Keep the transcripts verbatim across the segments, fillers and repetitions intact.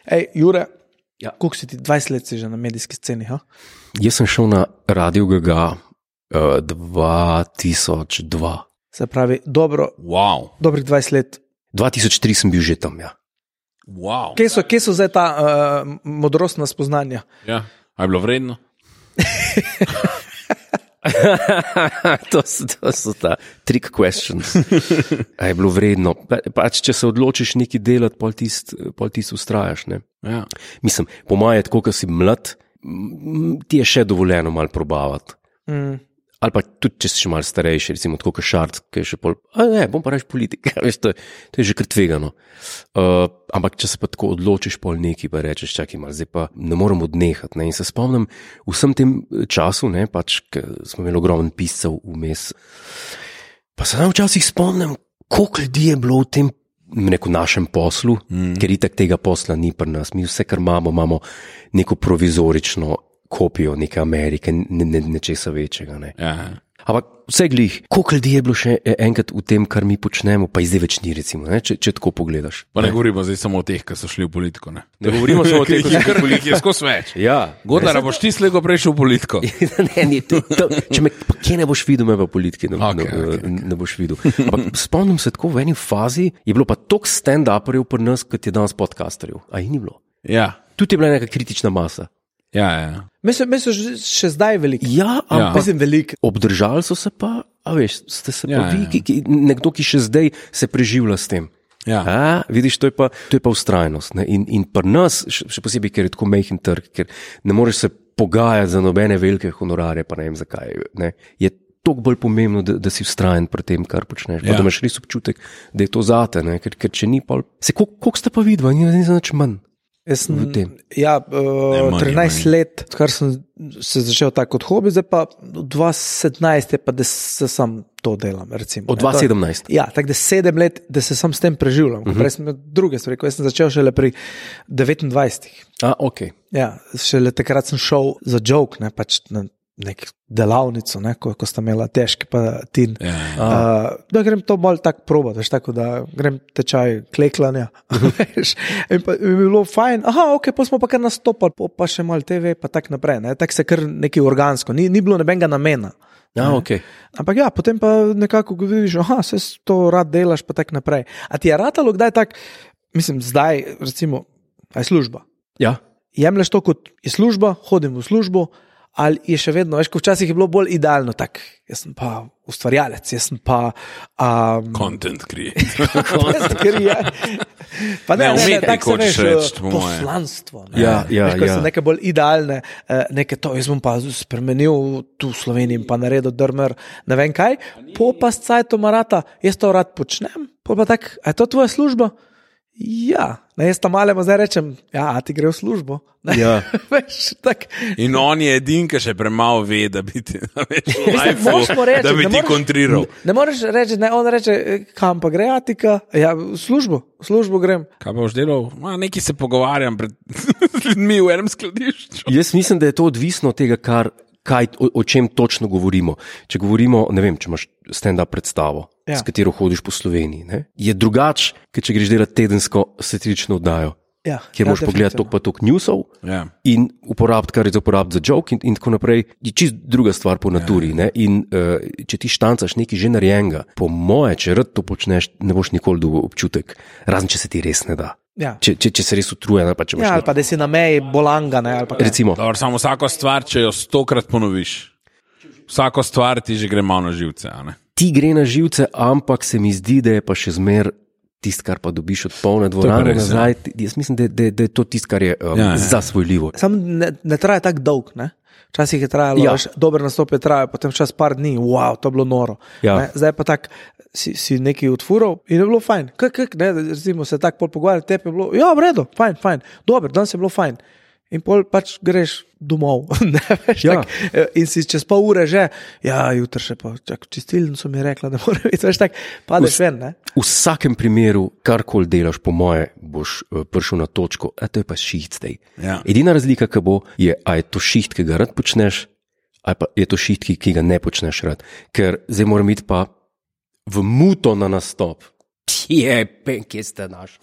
Ej, Jure, Ja. koliko si ti, dvajset let si že na medijski sceni, ha? Jaz sem šel na Radio Gaga uh, dva tisoč dva. Se pravi, dobro, Wow. dobrih dvajset let. dva tisoč tri sem bil že tam, ja. Wow. Kje so, kje so zdaj ta uh, modrostna spoznanja? Ja. A je bilo vredno? to, so, to so ta trick questions. A je bilo vredno. Pa, pač, če se odločiš nekaj delati, pol tist, pol tist ustrajaš. Ne? Ja. Mislim, po mojem, tako, ko si mlad, m, ti je še dovoljeno malo probavati. Mm. Ali pa tudi, če si še malo starejši, recimo tako kot Šarc, ki je še pol, a ne, bom pa reč politik, veš, to, je, to je že kar tvegano. Uh, ampak če se pa tako odločiš pol neki, pa rečeš, čakaj malo, zdaj pa ne moram odnehati. Ne? In se spomnim v vsem tem času, ne, pač, smo imeli ogromno piscev vmes, pa se nam včasih spomnim, koliko ljudi je bilo v tem neko našem poslu, mm. ker itak tega posla ni pri nas. Mi vse, kar imamo, imamo neko provizorično kopijo neke Amerike, ne, ne, nečesa večjega. Ne. Ja. Ampak vse glih, koliko ljudi je bilo še enkrat v tem, kar mi počnemo, pa zdaj več ni, recimo, ne, če, če tako pogledaš. Pa ne govorimo zdaj samo o teh, ki so šli v politiko. Ne, ne govorimo samo o teh, ki so šli v politiko, je skos več. Ja. Godar, boš ti slego prej šel v politiko. ne, ni, to, to, če me, pa kje ne boš videl, me v politiki ne, Okay, ne, okay, okay. ne boš videl. Ampak spomnim se tako, v eni fazi je bilo pa toliko stand-uperjev pri nas, kot je danes podcasterjev. A jih ni bilo. Ja. Tudi je bila neka kritična masa. Ja, ja. Mislim, da so že, še zdaj veliki. Ja, ampak Mislim, veliki. obdržali so se pa, a veš, ste se Ja, pa vi, ja. ki, ki, nekdo, ki še zdaj se preživlja s tem. Ja. A, vidiš, to je pa, to je pa ustrajnost. Ne? In, in pri nas, še, še posebej, ker je tako majhen trg, ker ne moreš se pogajati za nobene velike honorare, pa ne vem zakaj. Ne? Je toliko bolj pomembno, da, da si vztrajen pri tem, kar počneš. Pa Ja. da imaš res občutek, da je to zate, ne? Ker, ker če ni pol... Se, koliko ste pa vidva, ni, ni za nič manj. Jaz sem, v tem. ja, uh, manj, trinajst manj. let, kar sem se začel tako kot hobi, zdaj pa dva tisoč sedemnajst je pa, da se sam to delam. Recimo, Od ne. dva To- tisoč sedemnajst. Ja, tako da sedem let, da se sam s tem preživljam. Uh -huh. Prej sem imel druge stvari, ko jaz sem začel šele pri devetindvajsetih. A, ok. Ja, šele takrat sem šel za joke, ne, pač na nek delavnico, ne, ko, ko sta imela težki pa tin. Ja, ja. Uh, da grem to bolj tako probati, veš, tako da grem tečaj kleklanja. Veš, in pa in bi bilo fajn, aha, ok, pa smo pa kar nastopali, pa, pa še malo te ve, pa tako naprej. Ne, tako se kar nekaj organsko, ni, ni bilo nobenega namena. A, ok. Ampak ja, potem pa nekako ko vidiš, aha, se to rad delaš, pa tako naprej. A ti je ratalo kdaj tak, mislim, zdaj, recimo, a je služba. Ja. Jemlješ to kot je služba, hodim v službo, ali je še vedno, veš, ko včasih je bilo bolj idealno, tak, jaz sem pa ustvarjalec, jaz sem pa um, Content creator. ker je. Pa ne, Ne, ne, ne, umetnik tako se hočeš veš, reči, po moje. poslanstvo. Ne. Ja, ja, veš, ko ja. so neke bolj idealne, eh, neke to, jaz bom pa spremenil tu v Sloveniji in pa naredil drmer, ne vem kaj, po pa s cajtom marata, jaz to rad počnem, po pa tak, a je to tvoja služba? Ja, ne, jaz tam malema zdaj rečem, ja, a ti gre v službo. Ne, Ja. veš, tak, In on je edin, ki še premalo ve, da bi ti, da veš, Mislim, moraš mu reči, da bi ne ti moreš- kontriral. Ne moreš reči, ne, on reče, kam pa gre, Atika? Ja, v službo, v službo grem. Kaj boš delal? Ma, nekaj se pogovarjam pred ljudmi v enem skladišču. Jaz mislim, da je to odvisno od tega, kar, kaj, o, o čem točno govorimo. Če govorimo, ne vem, če imaš stand-up predstavo, Ja. s katero hodiš po Sloveniji, ne? Je drugače, kot če greš delati tedensko satirično oddajo, Ja, kjer ja, moraš pogledati toliko pa toliko newsov Ja. in uporabiti, kar je za uporabiti za joke in, in tako naprej. Je čist druga stvar po naturi. Ne? In uh, če ti štancaš nekaj že narejenega, po moje, če rad to počneš, ne boš nikoli dobil občutek, razen če se ti res ne da. Ja. Če, če, če se res utrujen, ali pa če imaš Ja, ali nek- pa da si na meji bolanga, ne, ali pa kaj. recimo. Dobro, samo vsako stvar, če jo stokrat ponoviš, vsako stvar ti že gre malo na živce. a ne? Ti gre na živce, ampak se mi zdi, da je pa še zmer tisto, kar pa dobiš od polne dvorane res, ja. nazaj. Jaz mislim, da, da, da je to tisto, kar je um, Ja, ja. zasvojljivo. Sam ne, ne traja tako dolg, ne. Včasih je trajalo, Ja. ja. dober nastop je trajal, potem čas par dni, wow, to je bilo noro. Ja. Ne, zdaj pa tak, si, si nekaj utfural in je bilo fajn. Kak, kak, ne, recimo se tako pol pogovarjati, tebi je bilo, ja, v redu, fajn, fajn, dober, danes je bilo fajn. In pol pač greš domov. Ne, veš, Ja. tak, in si čez pol ure že, ja, jutri še pa, čak, čistilnico mi je rekla, da mora biti, veš, tak, padeš ven, ne. V vsakem primeru, karkoli delaš, po moje, boš uh, prišel na točko, a to je pa šiht zdaj. Ja. Edina razlika, ki bo, je, a je to šiht, ki ga rad počneš, ali pa je to šiht, ki, ki ga ne počneš rad. Ker zdaj moram iti pa v muto na nastop. Je, pen, kje ste naš?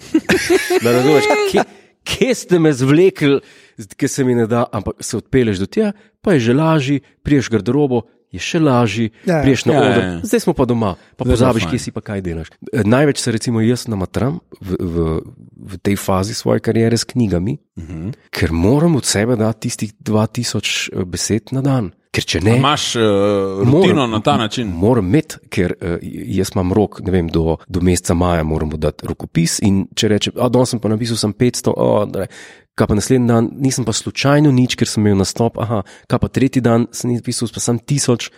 Da razumeš, kje, kje ste me zvlekli, ki se mi ne da, ampak se odpeleš do tja, pa je že lažji, priješ garderobo, je še lažji, Ja, priješ na ja, oder, ja. zdaj smo pa doma, pa Zdaj je pozabiš, fajn. kje si pa kaj delaš. E, Največ se recimo jaz namatram v, v, v tej fazi svoje kariere s knjigami, uh-huh. ker moram od sebe dati tistih dva tisoč besed na dan. Ker če ne, Imaš uh, rutino moram- na ta način. Moram imeti, ker uh, jaz imam rok, ne vem, do, do meseca maja moram mu dati rokopis in če rečem, a danes sem pa napisal sem petsto, o, da, kaj pa naslednji dan, nisem pa slučajno nič, ker sem imel nastop, aha, kaj pa tretji dan sem napisal pa sem tisoč,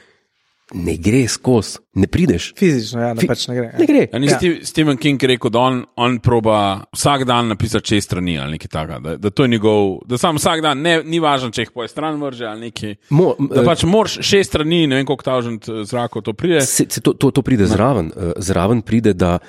ne gre skozi, ne prideš. Fizično, ja, ne, Fi- pač ne gre. Ne gre. Ja, ni Ja. Steve- Stephen King rekel, da on, on proba vsak dan napisati šest strani ali nekaj takega, da, da to je njegov, da sam vsak dan, ne, ni važno, če jih po stran vrže ali nekaj. Mo, Da pač moraš šest strani, ne vem, koliko tažent zrakov to pride. Se, se to, to, to pride zraven. Uh, zraven pride, da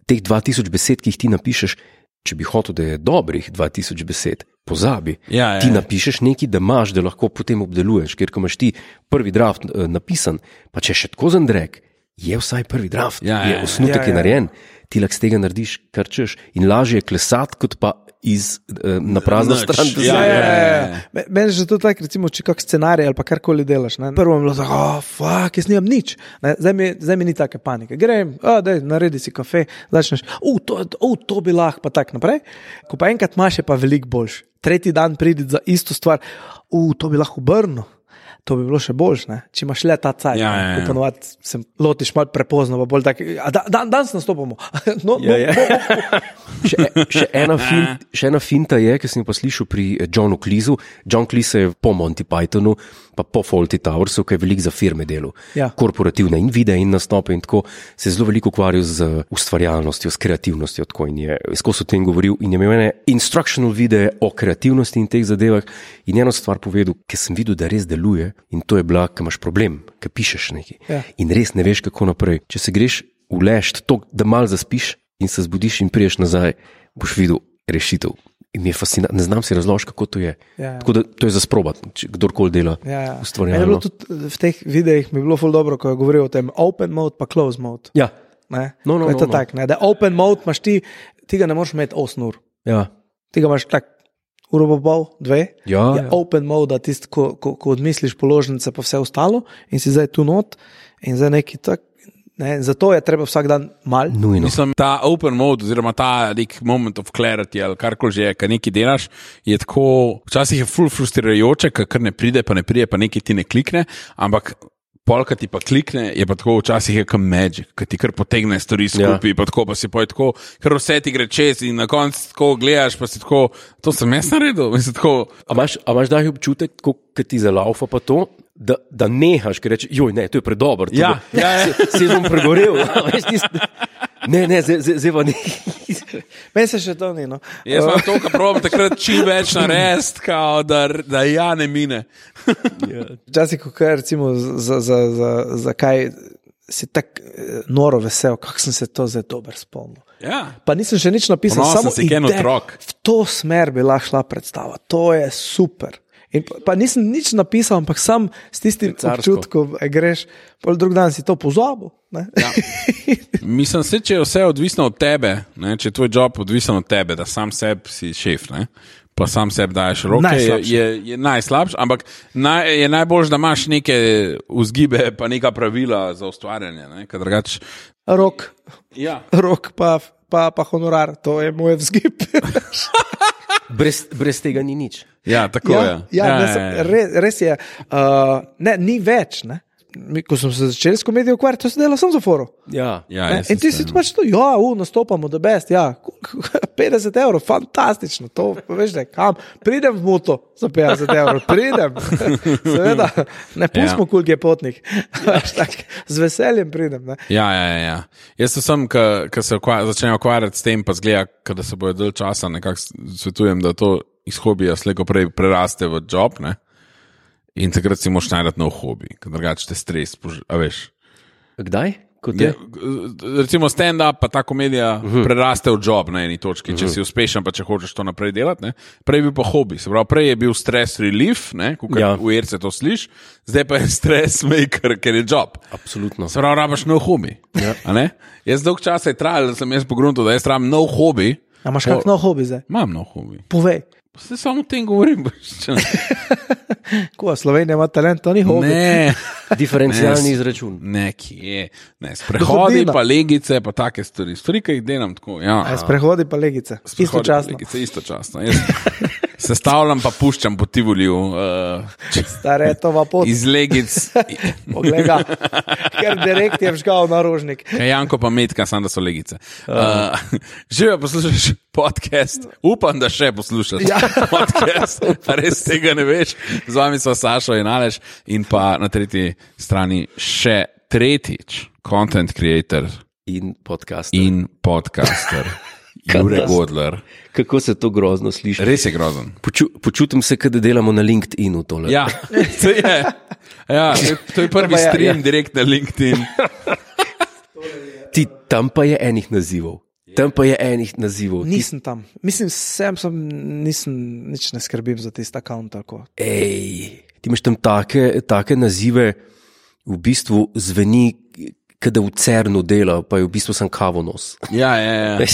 teh dva tisoč besed, ki jih ti napišeš, če bi hotel, da je dobrih dva tisoč besed, pozabi. Ja, ja, ti ja. napišeš nekaj, da imaš, da lahko potem obdeluješ, ker ko imaš ti prvi draft uh, napisan, pa če še tako zandrek, je vsaj prvi draft, Ja, je ja, ja. osnutek Ja, je ja. narejen, ti lahko z tega narediš, kar češ in lažje je klesati, kot pa iz, uh, na prazno Nič. stran. da Ja, se- Ja, ja, ja, ja. ja. Me- Meni je že to tako, recimo, če kak scenarij ali pa karkoli delaš. Ne? Prvo je bilo tako, oh, fuck, jaz nimam nič. Ne? Zdaj, mi, zdaj mi ni take panike. Grem, oh, dej, naredi si kafe, začneš, uh, to, uh, to bi lahko, pa tako naprej. Ko pa enkrat imaš, je pa veliko boljš. Tretji dan pridi za isto stvar, uh, to bi lahko obrnil. To bi bilo še boljše, ne? Če imaš le ta cajt. Ja, ja, ja. Ko ponovadi se lotiš malo prepozno, pa bolj tako, a da, dan, danes nastopamo. no, Ja, ja. no, no, Še, še, ena fin, še ena finta je, ki sem jo pa slišal pri eh, Johnu Cleeseu. John Cleese je po Monty Pythonu, pa po Fawlty Towersu, ki je veliko za firme delal. Ja. Korporativne in videe in nastope in tako se je zelo veliko ukvarjal z ustvarjalnostjo, s kreativnostjo. Tako in je skozi o tem govoril in je imel ene instructional videe o kreativnosti in teh zadevah. In eno stvar povedal, ki sem videl, da res deluje, in to je bila, ki imaš problem, ki pišeš nekaj. Ja. In res ne veš, kako naprej. Če se greš ulešt to, da mal zaspiš in se zbudiš in priješ nazaj, boš videl rešitev. In mi je fascinantno, ne znam si razložiti, kako to je. Ja. Tako da to je za sprobat, če kdorkoli dela Ja, ja. Meni je ustvarjalno. bilo tudi v teh videih mi je bilo ful dobro, ko je govoril o tem open mode pa close mode. Ja, Ne? No, no, Ko je no, to no. tak, ne? Da open mode imaš ti, ti ga ne moreš imeti osem ur. ja. Ti ga imaš tak uro pa pol, dve. Ja, je ja. open mode, da tisti, ko, ko, ko odmisliš položnice pa vse ostalo in si zdaj tu not in zdaj neki tak. Ne? Zato je treba vsak dan mal. Nujno. Mislim, ta open mode, oziroma ta nek moment of clarity, ali karkoli že je, kaj nekaj delaš, je tako, včasih je ful frustrirajoče, ker kar ne pride, pa ne pride, pa nekaj ti ne klikne, ampak polka ti pa klikne, je pa tako včasih je kot magic, ki ti kar potegne stvari skupaj, ja. pa tako pa si poj tako, ker vse ti gre čez in na koncu tako gledaš, pa si tako, to sem jaz naredil, mislim tako. A imaš, a imaš daj občutek, ko ki ti zalaufa pa to, da, da nehaš, ker rečeš, joj, ne, to je predober. Ja, ja, ja. Se, se bom pregorel. a veš, tis- Ne, ne, zdaj zdaj- zdaj pa ne. Meni se še to ni. No. Jaz imam to, kar pravim takrat čim več narediti, kao, da, da ja ne mine. Včasih, ko kaj recimo za, za, za, za kaj si tako eh, noro vesel, kako sem se to zdaj dober spomnil. Ja. Pa nisem še nič napisal, Ponosen samo si, ken ideja. otrok. V to smer bi lahko šla predstava, to je super. In pa, pa nisem nič napisal, ampak sam s tistim Carsko. občutkom eh, greš, pol drug dan si to pozabil. Ne? Ja. Mislim, se, če je vse odvisno od tebe, ne, če je tvoj job odvisen od tebe, da sam sebi si šef, ne, pa sam sebi daješ roke, je, Najslabše. je, je najslabše, ampak naj, je najboljše, da imaš neke vzgibe, pa neka pravila za ustvarjanje. Ne, ker drugače. Rok, Ja. rok pa, pa, pa honorar, to je moj vzgib. Brez, brez tega ni nič. Ja, tako ja, je. ja, ja, ne, ja, sem- ja. Res, res je, uh, ne, ni več. Ne? Mi, ko sem se začel s komedijo ukvarjati, to se dela samo za foro. Ja. Ja, Ne? jaz In ti se si strinjam. pač to, ja, u, nastopamo, da best, ja, petdeset evrov, fantastično, to veš, da kam, pridem v moto za petdeset evrov, pridem, seveda, ne pustimo, Ja. koliko je potnik, Veš, tak, z veseljem pridem. Ne? Ja, ja, ja, ja. Jaz sem, ki se ukvar, začne ukvarjati s tem, pa zgleda, da se bojo dalj časa, nekako svetujem, da to iz hobija slejko prej preraste v job, ne? In takrat si moraš najti nov hobi, ker drugače te stres, pož- a veš. Kdaj? Kot Ja, je? recimo stand-up, pa ta komedija uh -huh. preraste v job na eni točki, če uh -huh. si uspešen, pa če hočeš to naprej delati. Ne? Prej je bil pa hobi, se pravi, prej je bil stress relief, kot Ja. ja. v Erce to sliš, zdaj pa je stress maker, ker je job. Absolutno. Se pravi, rabaš nov hobi. Ja. Jaz dolg časa je trajal, da sem jaz pogrunil, da jaz rabim nov hobi, A imaš Pol- kak nov hobi zdaj? Imam nov hobi. Povej. Se samo o tem govorim. Ko Slovenija ima talent, to ni hobi. Ne, Diferencialni Ne, izračun. ne, kje. Ne, sprehodi, Dohodnina. pa legice, pa take stvari. Stvari, ki jih delam tako. Ja. A sprehodi pa legice. Sprehodi pa Istočasno. Legice, istočasno. Jaz sestavljam pa puščam po Tivoliju. Uh, Staretova pot. iz legic. Poglej ga. Ker direkt je vžgal na rožnik. Janko pa metka, samo da so legice. Uh, Živijo poslušaš podcast, upam, da še poslušaš Ja. podcast, pa res tega ne veš. Z vami so Sašo in Aleš in pa na tretji strani še tretjič, content creator In podcast. in podcaster, Jure Godler. Kako se to grozno sliši? Res je grozen. Poču, počutim se, kot da delamo na LinkedInu tole. Ja, to je, ja, to je, to je prvi To pa je, stream ja. direkt na LinkedIn. Ti, tam pa je enih nazivov. Tam pa je enih nazivov. Ti, Nisem tam. Mislim, sem, sem nisem, nič ne skrbim za tisti account. Tako. ej, ti imaš tam take, take nazive, v bistvu zveni, kot da v Cernu dela, pa je v bistvu sem kavonos. Ja, ja, ja.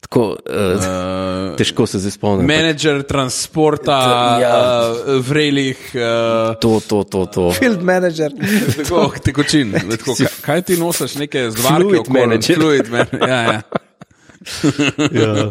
Tako, uh, Uh, težko se zdaj spomnim. Menedžer transporta, Ja. uh, vrelih, uh, To, to, to, to. Field manager. tako, tekočin. Tako, kaj, kaj ti nosiš, neke zvarke? Fluid okoli? manager. Fluid man, ja, ja. Ja.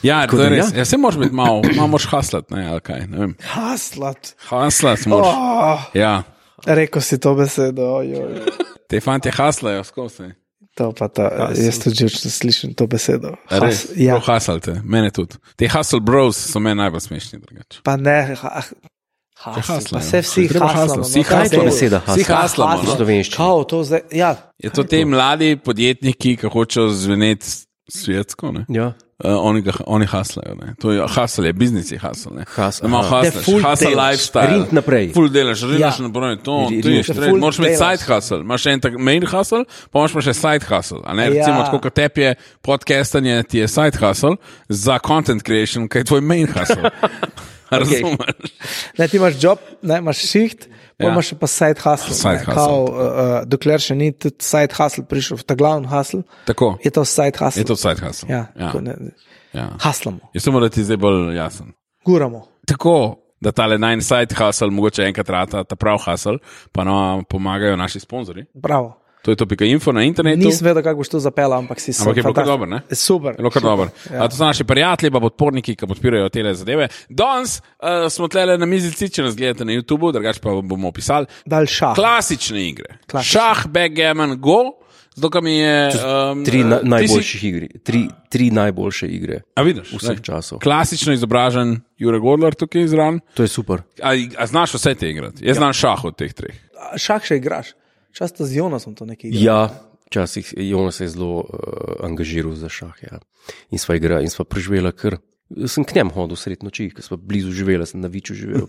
Ja, to da je res. ja. Ja, se moraš biti malo, malo moraš haslat, ne, ali kaj, ne vem. Haslat. Haslat moraš. Oh, Ja, rekel si to besedo. Ojoj. te fanti haslajo skozi. To pa ta, jaz tudi že slišim to besedo. A res? Has, ja. Prav haslate, mene tudi. Te hustle bros so meni najbolj smešni drugače. Pa ne, ha, hasl, haslajo. pa se vsi Treba haslamo. haslati, vsi no, kaj haslamo. je to? Beseda Vsi hasla. haslamo, V no. slovenščini. Kao, to zdaj, ja. Je to te mladi podjetniki, ki hočejo zveneti svetsko, ne? Ja. Uh, oni, ga, oni haslajo. Ne? To je hasl, je biznis je hasl. Hustle, Ima aha. Ne, hasl, full hasl delaš. lifestyle. Rint naprej. Full delaš, rinaš Ja. naprej. To, Ri- to je rinaš štret. naprej. Moraš imeti Full side hustle. Imaš en tak main hustle, pa imaš pa še side hustle. A ne, Ja. recimo, tako kot tebi je podcastanje, ti je side hustle, za content creation, kaj je tvoj main hustle. Razumeš? Ne, ti imaš job, ne, imaš šiht, pa Ja. imaš pa side hustle. Side ne, hustle. Kao, uh, uh, dokler še ni tudi side hustle prišel v ta glavni hustle, Tako. je to side hustle. Je to side hustle. Ja, Ja. tako ne, Ja. haslamo, Jaz sem moral ti zdaj bolj jasen. guramo. Tako, da tale nine side hustle, mogoče enkrat rata ta prav hustle, pa nam pomagajo naši sponzorji. Bravo. To je to pika info na internetu. Nisem vedel, kako boš to zapeljal, ampak si se. Ampak je bilo kar dobro, ne? Super. Je bilo kar dobro. Ja. A to so naši prijatelji, pa podporniki, ki podpirajo te zadeve. Danes uh, smo tlele na mizici, če nas gledate na YouTubu, drugače pa bomo opisali. Dal šah. Klasične igre. Klasične. Šah, backgammon, go. Zato, kam je. Um, Tri na, ti si- najboljših igre. Tri, tri najboljše igre. A vidiš? Vseh ne? časov. Klasično izobražen Jure Godler tukaj izran. To je super. A, a znaš vse te igrati? Jaz znam šah od teh treh. Šah še igraš. Často z Jonasom to nekaj igra. Ja, včasih Jonas se je zelo uh, angažiral za šah. Ja. In sva igrala, in sva preživela kar. Sem k njemu hodil sred noči, ker sva blizu živela, sem na Viču živel.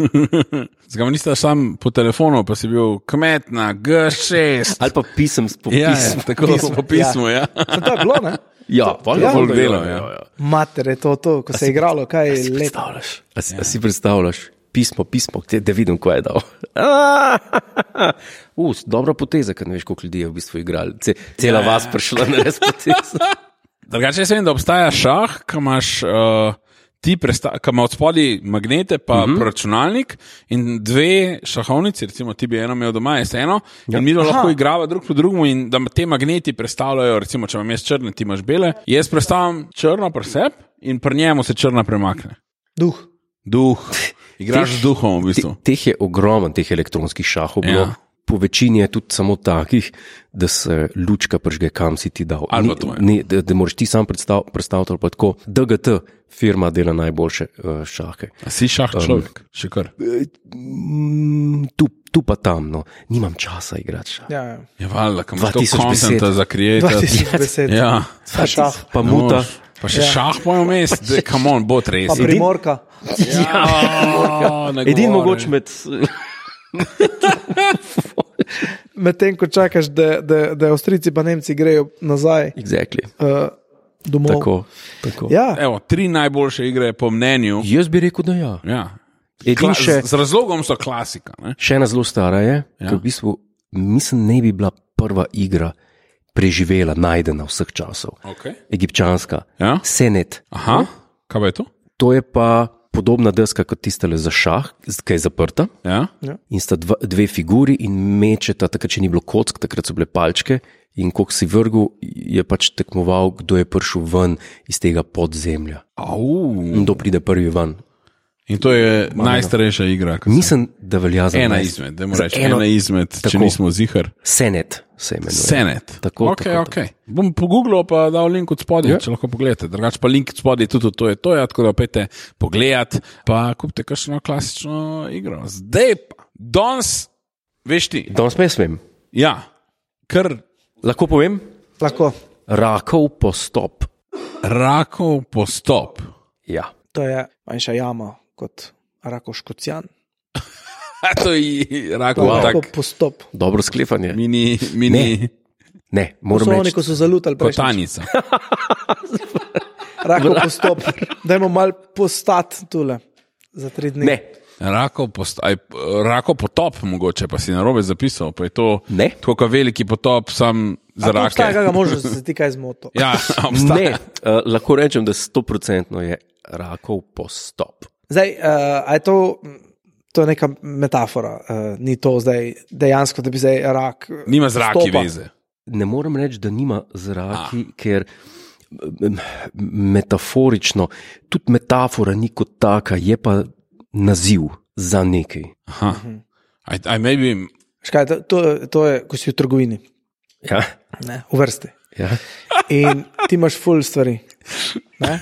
Zakaj nisi sam po telefonu, pa si bil kmet na G šest? Ali pa pisem s Ja, popisom. ja, tako Pismo, po pismu, ja. To je bilo, ne? Ja, valjda, Ja, valjda, delo, ja, ja. ja, ja. Mater je to, to ko se je igralo, kaj je lepo. Predstavljaš? A si, a si predstavljaš? Pismo, pismo, te, da vidim, kaj je dal. Uh, dobra poteza, ker ne veš, koliko ljudi je v bistvu igrali. Ce, cela Ja, ja. vas prišla na res potezo. Drugače, jaz vem, da obstaja šah, ki imaš uh, ti, presta- ki ima od spodaj magnete, pa Mhm. uh -huh. računalnik in dve šahovnici, recimo ti bi eno imel doma, jaz eno, ja. in mi lahko igrava drug po drugemu in da te magneti predstavljajo, recimo, če imam jaz črne, ti imaš bele, jaz predstavljam črno pri sebi in pri njemu se črna premakne. Duh. Duh. Igraš z duhom v bistvu. Te, teh je ogromno, teh elektronskih šahov. Bilo. Ja. Po večini je tudi samo takih, da se lučka pržge, kam si ti dal. Ali Ni, pa to je. ni, da, da moraš ti sam predstav, predstaviti, ali pa tako. D G T firma dela najboljše uh, šahe. A si šah človek, um, še kar. Mm, tu, tu pa tam, no. Nimam časa igrati šah. Ja, ja. Je valjda, kam dva imaš to tisoč kontenta besed. za kreativ. dva tisoč besed. Ja. Pa šah. Pa Ne muta. moreš. Pa še Ja. ja. šah pojem vmes, da come on, bo res. Pa primorka. Ja, ne Edin govori. mogoče med. Medtem ko čakaš, da, da, da Avstrijci pa Nemci grejo nazaj Exactly. uh, domov. Tako, tako. Ja, Evo, tri najboljše igre po mnenju. Jaz bi rekel, da ja. Ja. Edin Kla še, z, z razlogom so klasika. Ne? še ena zelo stara je, Ja. ja. ki v bistvu mislim, ne bi bila prva igra, preživela, najdena vseh časov. Okay. Egipčanska. Ja? Senet. Aha, kaj pa je to? To je pa podobna deska kot tistale za šah, ki je zaprta. Ja? In sta dva, dve figuri in mečeta, takrat, če ni bilo kock, takrat so bile palčke. In ko si vrgel, je pač tekmoval, kdo je prišel ven iz tega podzemlja. Au. In kdo pride prvi ven. In to je Malo. najstarejša igra. Mislim, da velja za ena najst... izmed, da moramo reči, ena izmed, tako, če nismo zihar. Senet se imenuje. Senet. Tako, okay, tako, okay. Tako. Bom pogooglil pa dal link od spodaj, ja. če lahko pogledate. Drugače pa link od spodaj tudi to je to, ja, tako da pejte pogledat, pa kupite kakšno klasično igro. Zdaj pa, danes, veš ti. Danes pa jaz vem. Ja, ker. Lahko povem? Lahko. Rakov postop. Rakov postop. Ja. To je manjša jama kot Rakov Škocjan. To je Rakov wow. tak. Postop. Dobro sklepanje. Mini, mini. Ne, ne moram reči. Poslovni, ko so zalutali prejšnjič. Kotanica. Rakov postop. Dajmo mal postati tule za tri dni. Ne. Rakov, post, aj, Rakov potop, mogoče pa si narobe zapisal. Pa je to ne. Tako veliki potop, sam za rake. Rake. Obstaja, kakega možnost, da se ti kaj zmotil. Ja, obstaja. Ne, uh, lahko rečem, da sto procentno je Rakov postop. Zdaj, uh, a je to, to je neka metafora, uh, ni to zdaj dejansko, da bi zdaj rak. Nima z raki stopa. veze. Ne morem reči, da nima z raki, a. ker metaforično, tudi metafora ni kot taka, je pa naziv za nekaj. Aha. Aj, aj maybe... Škaj, to, to, to je, ko si v trgovini. Ja. Ne, v vrsti. Ja. In ti imaš ful stvari. Ne?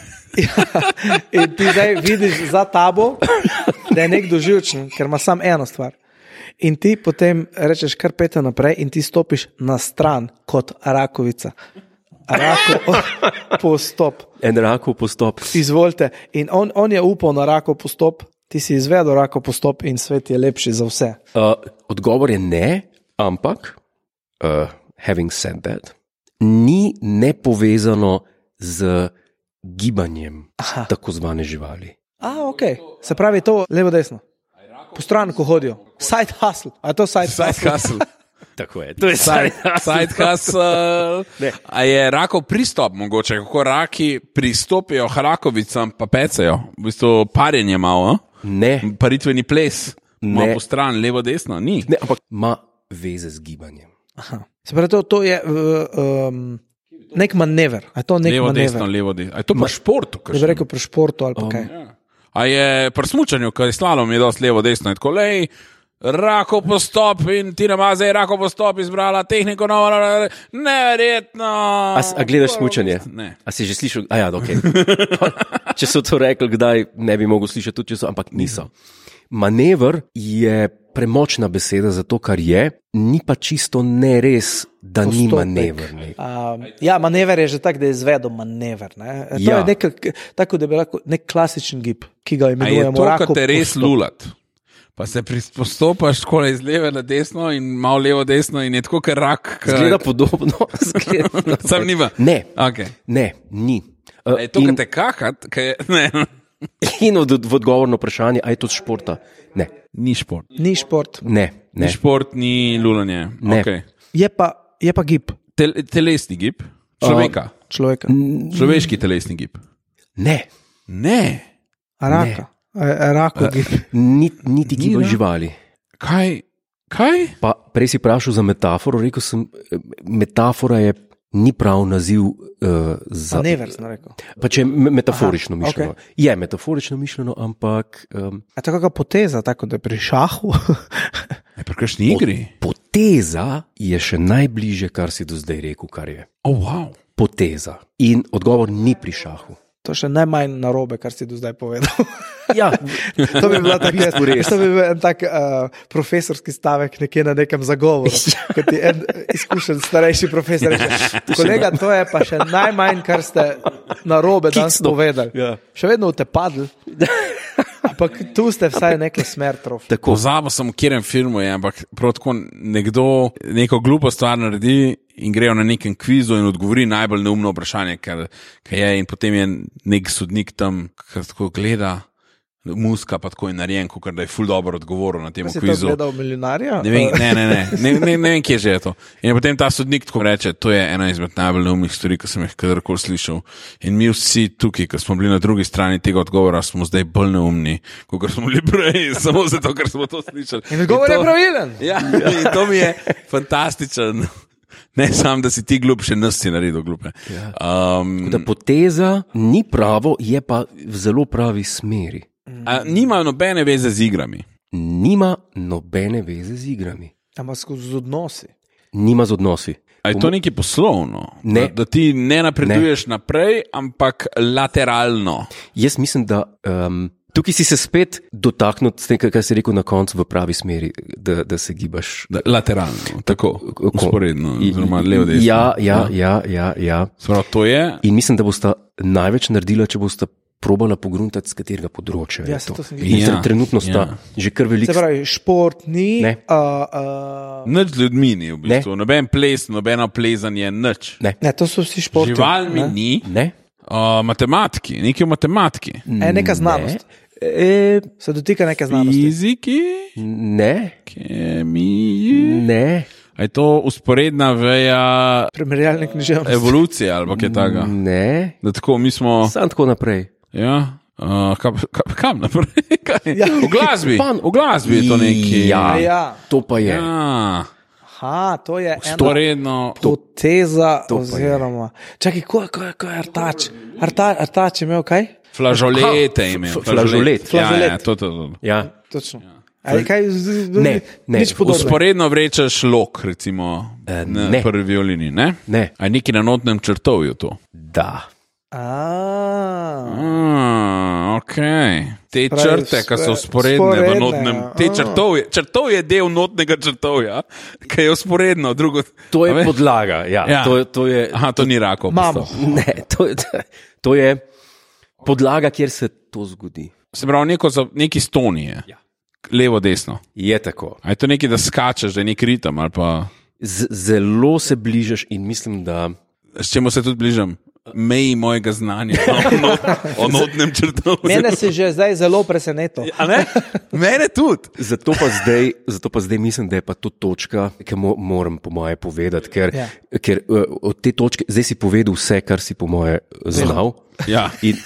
In ti zdaj vidiš za tabo, da je nekdo živčen, ker ima samo eno stvar. In ti potem rečeš kar pete naprej in ti stopiš na stran kot rakovica. Rakov postop. En Rakov postop. Izvolite. In on, on je upal na Rakov postop, ti si izvedel Rakov postop in svet je lepši za vse. Uh, odgovor je ne, ampak, uh, having said that, ni nepovezano z gibanjem Aha. tako zvane živali. A, ok. Se pravi to levo-desno. Po stran, ko hodijo. Side hustle. A je to side, side hustle? hustle. Tako je. To je side, side hustle. A je Rakov pristop mogoče, kako raki pristopijo k rakovicam pa pecajo? V bistvu parjenje malo, ne? Paritveni ples. Malo po stran, levo-desno? Ni. Ne, ampak ima veze z gibanjem. Aha. Se pravi, to, to je um, nek manever. A je to nek levo, manever? Desno, levo, desno. A je to pri športu? Da bi rekel pri športu ali pa um, kaj. Ja. A je pri smučanju, ker je slalom je dosti levo-desno. Je tako, lej, Rakov postop in Tina Maze je Rakov postop izbrala tehniko novo, neverjetno. A, a gledaš smučanje? Ne. A si že slišal? A ja, ok. Če so to rekli, kdaj ne bi mogel slišati, tudi če so, ampak niso. Manever je premočna beseda za to, kar je, ni pa čisto ne res, da Postopek. Ni manever. Um, ja, manever je že tak, da je izvedel manever. Ne? To ja. je nek, tako, da bi lahko nek klasičen gib, ki ga imenujemo Rakov postop. A je to, kad te res lulat? Pa se postopaš skoraj iz leve na desno in malo levo desno in je tako, ker rak... Zgleda podobno. Zgleda Sam nima? Ne, okay. ne, ni. Uh, je to, in... kad te kakat? Kaj... Ne. In v, v odgovorno vprašanje, a je to športa? Ne. Ni šport. Ni šport. Ne, ne. Ni šport, ni lulanje. Ne. Okay. Je, pa, je pa gib. Tel, telesni gib? Človeka? Uh, človeka. Človeški telesni gib? Ne. Ne. A raka? Ne. A, rako gib. Niti ni giba živali. Kaj? Kaj? Pa prej si vprašal za metaforo, rekel sem, metafora je ni prav naziv uh, za... Manever, sem rekel. Pa če je metaforično Aha, mišljeno. Okay. Je metaforično mišljeno, ampak... Um, A to kakva poteza, tako da je pri šahu? Je pri kakšni igri? Poteza je še najbliže, kar si do zdaj rekel, kar je. Oh, wow. Poteza. In odgovor ni pri šahu. To še najmanj narobe, kar si do zdaj povedal. Ja, to bi bila tako res. To bi bil en tak uh, profesorski stavek nekje na nekem zagovoru, kot je en izkušen starejši profesor reče, kolega, to je pa še najmanj, kar ste narobe danes povedali. Ja. Še vedno v te padli, ampak tu ste vsaj neko smer trofili. Pozabil sem, v katerem filmu je, ampak prav tako nekdo neko glupo stvar naredi in grejo na nekem kvizu in odgovori najbolj neumno vprašanje, kar, kar je, in potem je nek sodnik tam, ki tako gleda, muska pa tako je narejen, kot da je ful dobro odgovoril na tem Si to kvizu. gledal milijonarja? Ne vem, ne, ne, ne, ne, ne, ne vem, kje že je to. In potem ta sodnik tako reče, to je ena izmed najbolj neumnih stvari, ki sem jih kadarkoli slišal. In mi vsi tukaj, ki smo bili na drugi strani tega odgovora, smo zdaj bolj neumni, kot smo bili prej, samo zato, ker smo to slišali. In odgovor to, je pravilen. Ja, in to mi je fantastičen. Ne samo, da si ti glup, še nas si naredil glupe. Um, Da poteza ni pravo, je pa v zelo pravi smeri. a, nimajo nobene veze z igrami. Nima nobene veze z igrami. Ampak skozi odnosi. Nima z odnosi. A je to nekaj poslovno? Ne. Da, da ti ne napreduješ ne. naprej, ampak lateralno. Jaz mislim, da um, tukaj si se spet dotaknil s tem, kar si rekel na koncu, v pravi smeri, da, da se gibaš. Da, lateralno, tako, usporedno, oziroma levo desno. Ja, ja, ja, ja, ja. Sprav, to je. In mislim, da bosta največ naredila, če bosta probala pogruntati, z katerega področja Ja, je se to. to sem In Ja, trenutno sta ja. že kar veliko. Se pravi, šport ni. Ne. Uh, uh, Nič z ljudmi ni v bistvu, noben ples, nobeno plezanje, nič. Ne. ne, to so vsi športi. Živalmi ne? ni, Ne? uh, matematiki, nekaj v matematiki, E, neka znanost. E, Se dotika neke znanosti. fiziki, ne, kemiji. ne. A je to usporedna veja Primerjalne književnosti. evolucije ali kaj takega? Ne. Da tako mi smo. Sam tako naprej. Ja. Uh, kam, kam, kam naprej? Kaj? Ja. V glasbi. Pan- V glasbi je to neki. Ja, Ja. to pa je. Ja. Aha, to je ena Usporedno. poteza, to pa je. oziroma. Čakaj, ko, ko, ko je Artač? Arta, Artač je imel kaj? Flažolete Aha, ime. f- flažolet. Ja, ja, Flažolet. to, to, to. Ja. Točno. Ali kaj? z- z- Ne, ne. Nič podobnega. Usporedno vrečeš lok, recimo, Eh, na ne. prvi violini. Ne? Ne. A je neki na notnem črtovju to? Da. A, Ah, ok. Te Pravi, črte, ki so sve- usporedne v vzporedne, notnem. ja. Te črtovje, črtov je del notnega črtovja, ki je usporedno. Drugo, To je A veš? podlaga. Ja. Ja. To, to je, Aha, to ni rakov. Imamo. ne, to, je, to je podlaga, kjer se to zgodi. Se pravi, neko, za- neki stonije. Ja. Levo, desno. Je tako. A je to nekaj, da skačeš, da je nek ritem ali pa. Z, zelo se bližaš in mislim, da. S čemu se tudi bližam? Meji mojega znanja o, no, o notnem črtovju. Mene si že zdaj zelo presenetil. A ne? Mene tudi. Zato pa, zdaj, zato pa zdaj mislim, da je pa to točka, ki mo moram po moje povedati, ker, Ja. ker uh, od te točke zdaj si povedal vse, kar si po moje znal. Ja. In,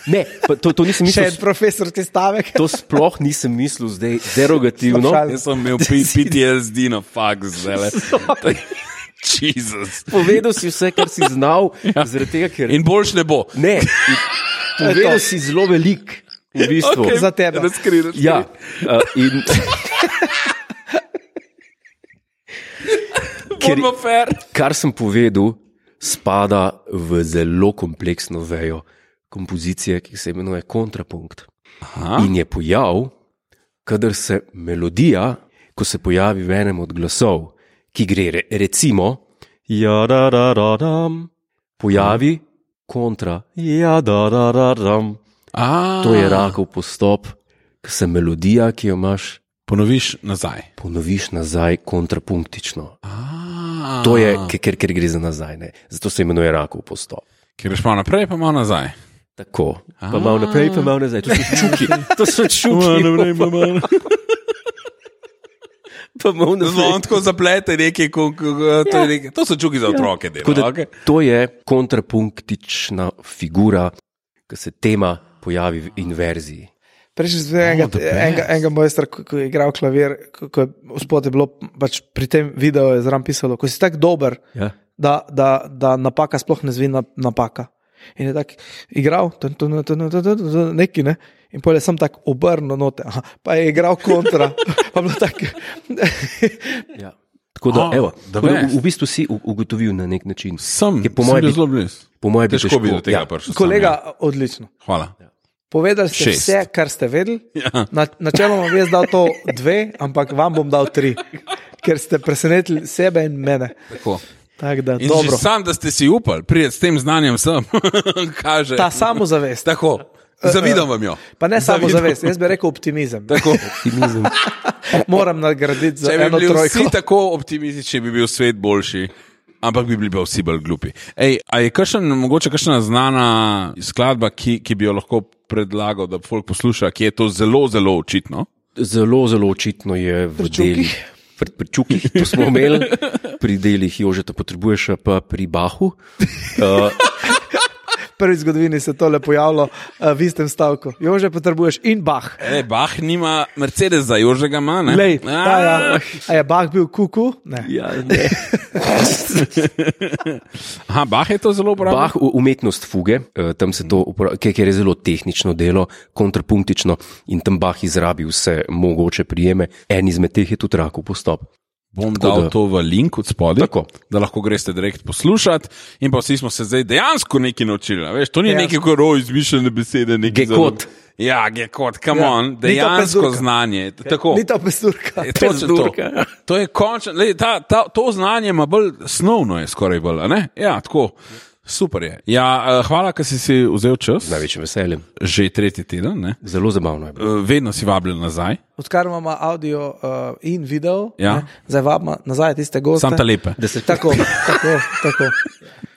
ne, pa to, to nisem Še mislil. en profesorski stavek. To sploh nisem mislil zdaj derogativno. Slabšal. Jaz sem imel P T S D na faks, zdaj. Jezus. Povedal si vse, kar si znal, ja. zaradi tega, ker. In boljš ne bo. Ne, in povedal si zelo velik, v bistvu. Za tebe. Razkri, razkri. Ja, uh, in. ker, Bodimo fair. kar sem povedal, spada v zelo kompleksno vejo kompozicije, ki se imenuje kontrapunkt. Aha. In je pojav, kadar se melodija, ko se pojavi v enem od glasov, ki gre re, recimo, ja, da, da, da, dam, pojavi kontra, ja, da, da, da, dam. A, To je rakov postop, ki se melodija, ki jo imaš, Ponoviš nazaj. ponoviš nazaj kontrapunktično. A, To je, ker, ker gre za nazaj. Ne? Zato se imenuje rakov postop. Ker greš malo naprej, pa malo nazaj. Tako, pa malo naprej, pa malo nazaj. To so čuki. To so čuki. Pa malo Zelo nazaj. tako zaplete nekaj, ko, ko, ko, to, je nekaj. To so čuki za otroke. Tako Delo, da, okay. to je kontrapunktična figura, ki se tema pojavi v inverziji. Prejšnji sem videl enega, the best. enega, enega mojstra, ko, ko je igral klavir, ko, ko je spod je bilo pač pri tem videu je zraven pisalo, ko si tako dober, Ja. da, da, da napaka sploh ne zvi na, napaka. In je tako igral, tun, tun, tun, tun, tun, tun, neki ne. In potem sem tako obrnil note, aha, pa je igral kontra. Pa bilo tako. Ja. Tako da, Ah, evo, the tako da best. v, v bistvu si u- ugotovil na nek način. Sem, Ki po sem moje bil bi- zelo blizu. Po mojem bi Težko bi do težko. tega Ja. prišel. sam, Kolega, ja. odlično. Hvala. Povedali ste Šest. vse, kar ste vedeli. Ja. Na, načeloma bi jaz dal to dve, ampak vam bom dal tri, ker ste presenetili sebe in mene. Tako. Tako da, In dobro. že sam, da ste si upali priti s tem znanjem sem, kaže. Ta samozavest. Tako, zavidam vam jo. Pa ne Zavidam. samozavest, jaz bi rekel optimizem. Tako. Optimizem. Moram nagraditi za Če bi eno bili trojko. vsi tako optimistični, bi bil svet boljši. ampak bi bili pa vsi bolj glupi. Ej, a je kakšen, mogoče kakšna znana skladba, ki, ki bi jo lahko predlagal, da folk posluša, ki je to zelo, zelo očitno? Zelo, zelo očitno je v delih. Pri, pri čukih, to smo imeli, pri delih Jožeta potrebuješ, pa pri Bahu. Uh, Prvi v zgodovini se tole pojavilo uh, v istem stavku. Jože potrebuješ in Bach. E, Bach nima Mercedes, za Jožega ima, ne? Lej, ja, ja. A je Bach bil kuku? Ne. ja, ne. Aha, Bach je to zelo uporabil? Bach, umetnost fuge, tam se to uporablja, ker je zelo tehnično delo, kontrapunktično in tam Bach izrabi vse mogoče prijeme. En izmed teh je tudi Rakov postop. Bom Tako dal da. to v link od spodaj, Tako. da lahko greste direkt poslušati in pa vsi smo se zdaj dejansko nekaj naučili. Veš, to ni Ja. nekaj koro izmišljene besede. Gekot. Ja, gekot, come Ja. on, Ni to dejansko pezurka. znanje. Tako. Ni to pesturka. Je točno to. Pezurka. To je končno, lej, ta, ta, to znanje ima bolj snovno, je skoraj bolj, a ne? Ja, tako. Super je. Ja, hvala, ker si si vzel čas. Z največjim veseljem. Že tretji teden, ne? Zelo zabavno je bilo. Vedno si vabljen nazaj. Odkar imamo audio uh, in video, Ja. ne, zdaj vabimo nazaj tiste goste. Sam ta lepe. Da se Tako, tako, tako.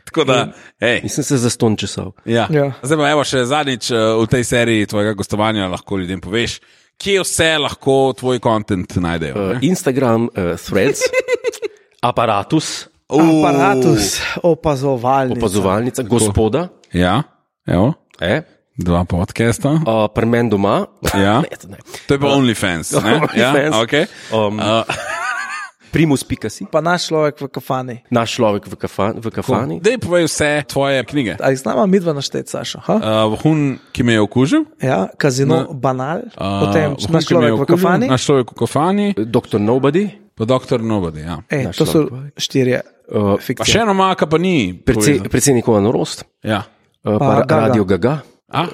Tako da, hej. Nisem se zaston česal. Ja. Ja. Zdaj pa evo še zadnjič uh, v tej seriji tvojega gostovanja lahko ljudem poveš, kje vse lahko tvoj kontent najdejo. Uh, Instagram, uh, Threads, Aparatus, Aparatus, opazovalnica. opazovalnica, gospoda, Ja, evo, eh, dva podcasta. uh, Premen doma. Ja. Ne, to ne. To je pa OnlyFans, ne? Ja, OnlyFans. okay. Um, Uh, Primus Pikasi, Pa naš človek v kafani. naš človek v, kafa, v kafani. Dej povej vse tvoje knjige. Ali znamo midva našteti, Sašo? Ha? Uh, hun, ki me je okužil. Ja, kazino Na- Banal, Uh, potem hun, naš ki me je človek v okužil, kafani. Naš človek v kafani, doktor Nobody, pa doktor Nobody. Ja. Ej, naš to so človek. štirje uh, Pa fikcije. še eno maka pa ni. predse, povezan. predsednikova norost, Ja. uh, Pa pa, Gaga. Radio Gaga, A? uh,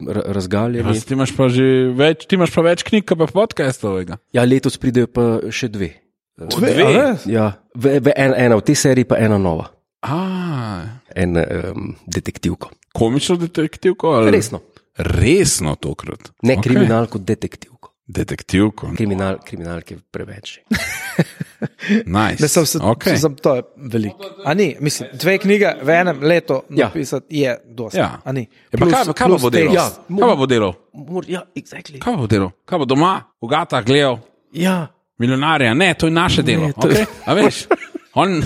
ra- Ja, razgaljeni. ti imaš pa že več, ti imaš pa več knjig, kot pa podcastovega. Ja, letos pridejo pa še dve. Dve, Dve? a res? Ja, v, v en, ena v tej seriji, pa ena nova. A, En um, detektivko. komično detektivko? Ali? Resno. Resno tokrat. Ne Okej. okay. kriminalko, detektivko. Detektivko. Kriminal, kriminalke preveč. Nice. Ne, sem se, okay. sem, to je veliko. A ni, mislim, dve knjige v enem letu Ja. napisati je dosti. Ja. A ni. Ja, pa kaj, kaj pa bo delal? Ja, Kaj pa bo delal? Mor, ja, exactly. Kaj pa bo delal? Kaj bo doma, v gatah gledal? Ja, Milijonarja, ne, to je naše delo. to- Okay? A veš? On,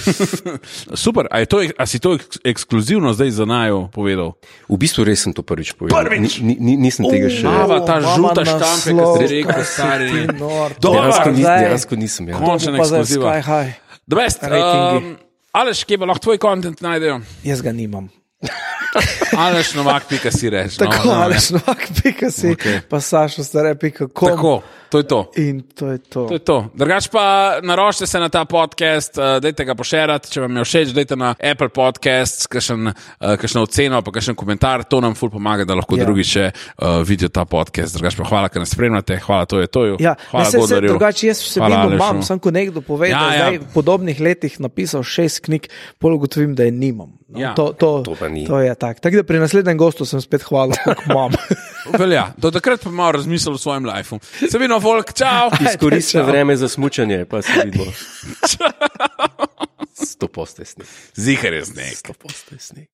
super, a, je to, a si to eks, ekskluzivno zdaj za najo povedal? v bistvu res sem to prvič povedal. Prvič? Ni, ni, nisem tega še. Mava, ta mama žuta naslov, štampe, ki ste rekel, kaj si stari. ti nor. Dobar, Dejansko, nis, zdaj. dejansko nisem. Ja. Končna Pa zdaj ekskluziva. Sky High. The best. Ratingi. Um, Aleš, kje pa lahko tvoj kontent najdejo? Jaz ga nimam. Aleš novak, pika si reš. Tako, no, no, ali šnovak, pika si, Okej. pa sašo stare, pika kom. Tako, to je to. In to je to. To je to. Drugač pa naročite se na ta podcast, uh, dajte ga pošerati, če vam je všeč, dajte na Apple Podcasts, kakšen, uh, kakšno oceno, pa kakšen komentar, to nam ful pomaga, da lahko Ja. ja. drugi še uh, vidijo ta podcast. Drugač pa hvala, ker nas spremljate, hvala to je toju. Ja, hvala ne, se, se, Godlerju. drugače jaz vsebino Hvala, Alešu. imam, sem ko nekdo pove, Ja, da ja. zdaj v podobnih letih napisal šest knjig, pol ugotovim, da je nimam. No, Ja. to, to, To pa ni. to je tako. Tako da pri naslednjem gostu sem spet hvalil, koliko imam. Velja, do takrat pa malo razmislil o svojem lifeu. Se vidimo, folk, čau! Izkoristite vreme za smučanje, pa se vidimo. Sto postesni. Zihar je sneg. Sto postesni.